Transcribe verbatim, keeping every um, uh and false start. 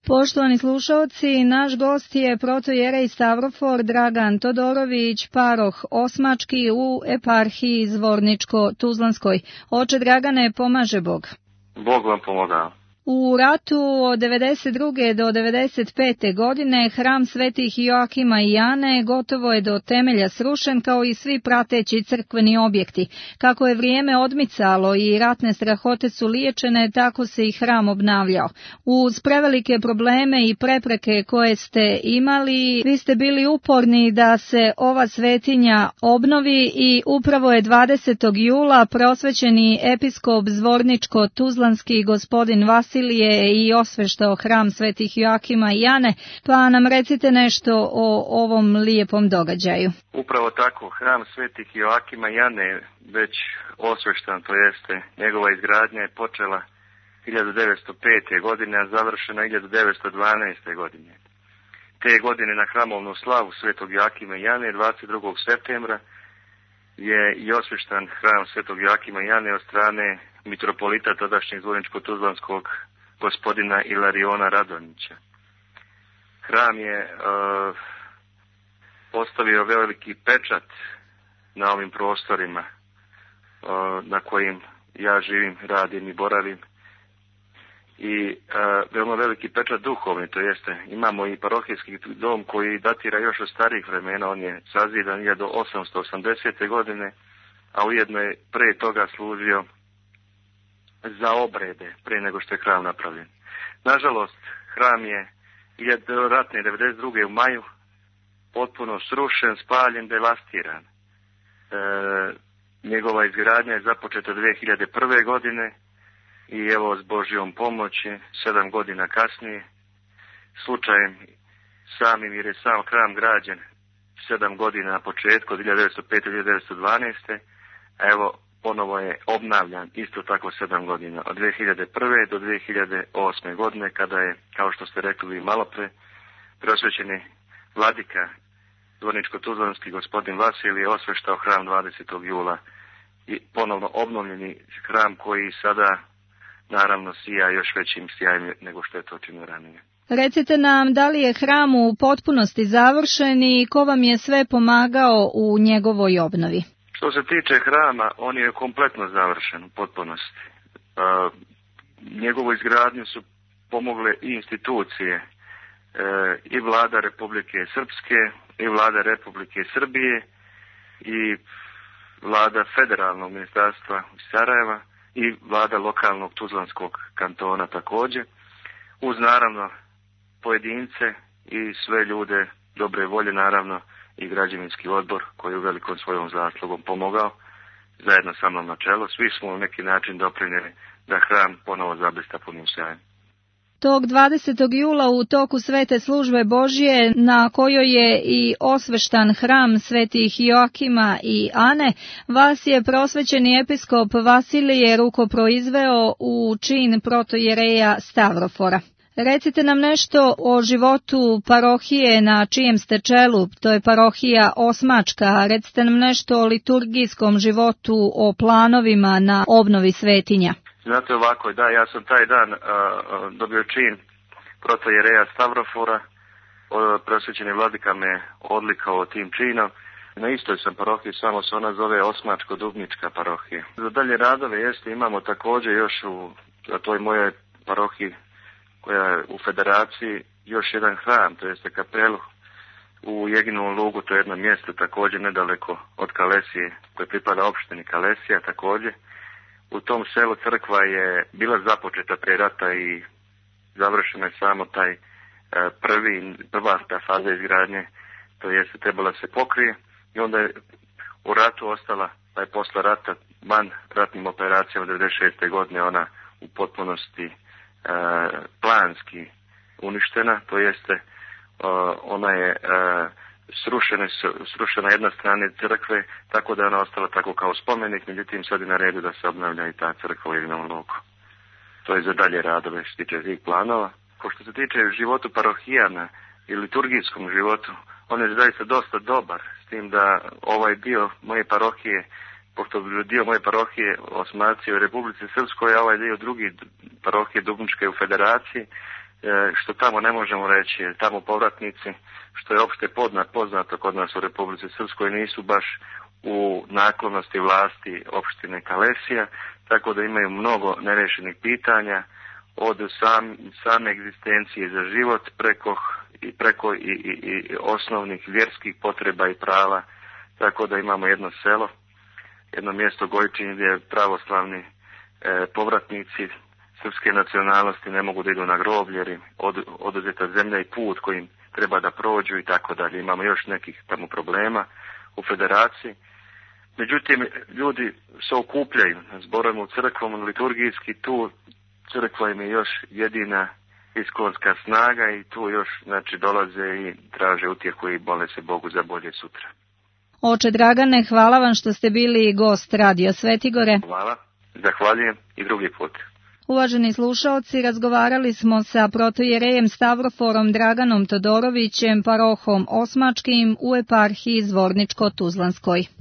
Poštovani slušaoci, naš gost je protojerej Stavrofor Dragan Todorović, paroh Osmački u eparhiji Zvorničko-Tuzlanskoj. Oče Dragane, pomaže Bog. Bog vam pomogao. U ratu od devedeset druge do devedeset pete godine hram svetih Joakima i Jane gotovo je do temelja srušen kao i svi prateći crkveni objekti. Kako je vrijeme odmicalo i ratne strahote su liječene, tako se i hram obnavljao. Uz prevelike probleme i prepreke koje ste imali, vi ste bili uporni da se ova svetinja obnovi i upravo je dvadesetog jula prosvećeni episkop Zvorničko-Tuzlanski gospodin Vasilije i osveštao hram svetih Joakima i Jane, pa nam recite nešto o ovom lijepom događaju. Upravo tako, hram svetih Joakima i Jane je već osveštan, to jeste njegova izgradnja je počela hiljadu devetsto pete. godine, a završena hiljadu devetsto dvanaeste. godine. Te godine na hramovnu slavu svetog Joakima i Jane dvadeset drugog septembra je i osveštan hram svetog Joakima i Jane od strane mitropolita tadašnjeg Zvorničko-Tuzlanskog gospodina Ilariona Radonjića. Hram je uh, postavio veliki pečat na ovim prostorima uh, na kojim ja živim, radim i boravim. I uh, veoma veliki pečat duhovni, to jeste imamo i parohijski dom koji datira još od starih vremena, on je sazidan hiljadu osamsto osamdesete. godine, a ujedno je pre toga služio za obrede, pre nego što je hram napravljen. Nažalost, hram je ratne devedeset druge. u maju potpuno srušen, spaljen, devastiran. E, njegova izgradnja je započeta dve hiljade prve. godine i evo s Božjom pomoći, sedam godina kasnije, slučajem samim jer je sam hram građen sedam godina na početku, od hiljadu devetsto pete. do hiljadu devetsto dvanaeste. a evo ponovo je obnavljan isto tako sedam godina, od dve hiljade prve. do dve hiljade osme. godine, kada je, kao što ste rekli vi malo pre, preosvećeni vladika Zvorničko-Tuzlanski gospodin Vasilije osveštao hram dvadesetog jula i ponovno obnovljeni hram koji sada naravno sija još većim sjajem nego što je to činio ranije. Recite nam, da li je hram u potpunosti završen i ko vam je sve pomagao u njegovoj obnovi? Što se tiče hrama, on je kompletno završen u potpunosti. E, njegovu izgradnju su pomogle i institucije, e, i vlada Republike Srpske, i vlada Republike Srbije, i vlada federalnog ministarstva iz Sarajeva, i vlada lokalnog Tuzlanskog kantona također, uz naravno pojedince i sve ljude dobre volje, naravno i građevinski odbor koji je u velikom svojom zaslugom pomogao zajedno sa mnom na čelu. Svi smo u neki način doprinijeli da hram ponovo zablista punim sjajem. Tog dvadesetog jula u toku svete službe Božje, na kojoj je i osveštan hram svetih Joakima i Ane, vas je prosvećeni episkop Vasilije rukoproizveo u čin protojereja Stavrofora. Recite nam nešto o životu parohije na čijem ste čelu, to je parohija Osmačka. Recite nam nešto o liturgijskom životu, o planovima na obnovi svetinja. Znate ovako, da, ja sam taj dan uh, dobio čin protojereja Stavrofora, prosvećeni vladika me odlikao tim činom. Na istoj sam parohiji, samo se ona zove Osmačko-Dubnička parohija. Za dalje radove jeste, imamo također još u toj mojoj parohiji koja je u federaciji još jedan hram, to jeste kapelu u Jeginovom Lugu, to je jedno mjesto također nedaleko od Kalesije, koje pripada opštini Kalesija također. U tom selu crkva je bila započeta pre rata i završena je samo taj prvi, prva ta faza izgradnje, to jeste trebala se pokrije i onda je u ratu ostala, pa je posle rata van ratnim operacijama devedeset šeste. godine ona u potpunosti e, planski uništena, to jeste e, ona je e, srušena, srušena jedna strana crkve, tako da je ona ostala tako kao spomenik, međutim sad je na redu da se obnavlja i ta crkva u Jeginovom Lugu. To je za dalje radove što se tiče tih planova. Ko što se tiče životu parohijana i liturgijskom životu, on je zaista dosta dobar, s tim da ovaj dio moje parohije, pošto dio moje parohije Osmaci u Republici Srpskoj, a ovaj dio drugi parohije Dubničke u Federaciji, što tamo ne možemo reći, jer tamo povratnici, što je opšte poznato kod nas u Republici Srpskoj, nisu baš u naklonosti vlasti opštine Kalesija, tako da imaju mnogo nerešenih pitanja, od sam, same egzistencije za život preko i preko i, i, i osnovnih vjerskih potreba i prava, tako da imamo jedno selo, jedno mjesto Gojčin gdje pravoslavni e, povratnici srpske nacionalnosti ne mogu da idu na groblje jer im od, oduzeta zemlja i put kojim treba da prođu i tako dalje. Imamo još nekih tamo problema u federaciji. Međutim, ljudi se okupljaju na zborovima u crkvom, liturgijski, tu crkva im je još jedina iskonska snaga i tu još znači dolaze i traže utjehu i mole se Bogu za bolje sutra. Oče Dragane, hvala vam što ste bili gost Radio Svetigore. Hvala, zahvaljujem i drugi put. Uvaženi slušaoci, razgovarali smo sa protojerejem Stavroforom Draganom Todorovićem, parohom Osmačkim u eparhiji Zvorničko-Tuzlanskoj.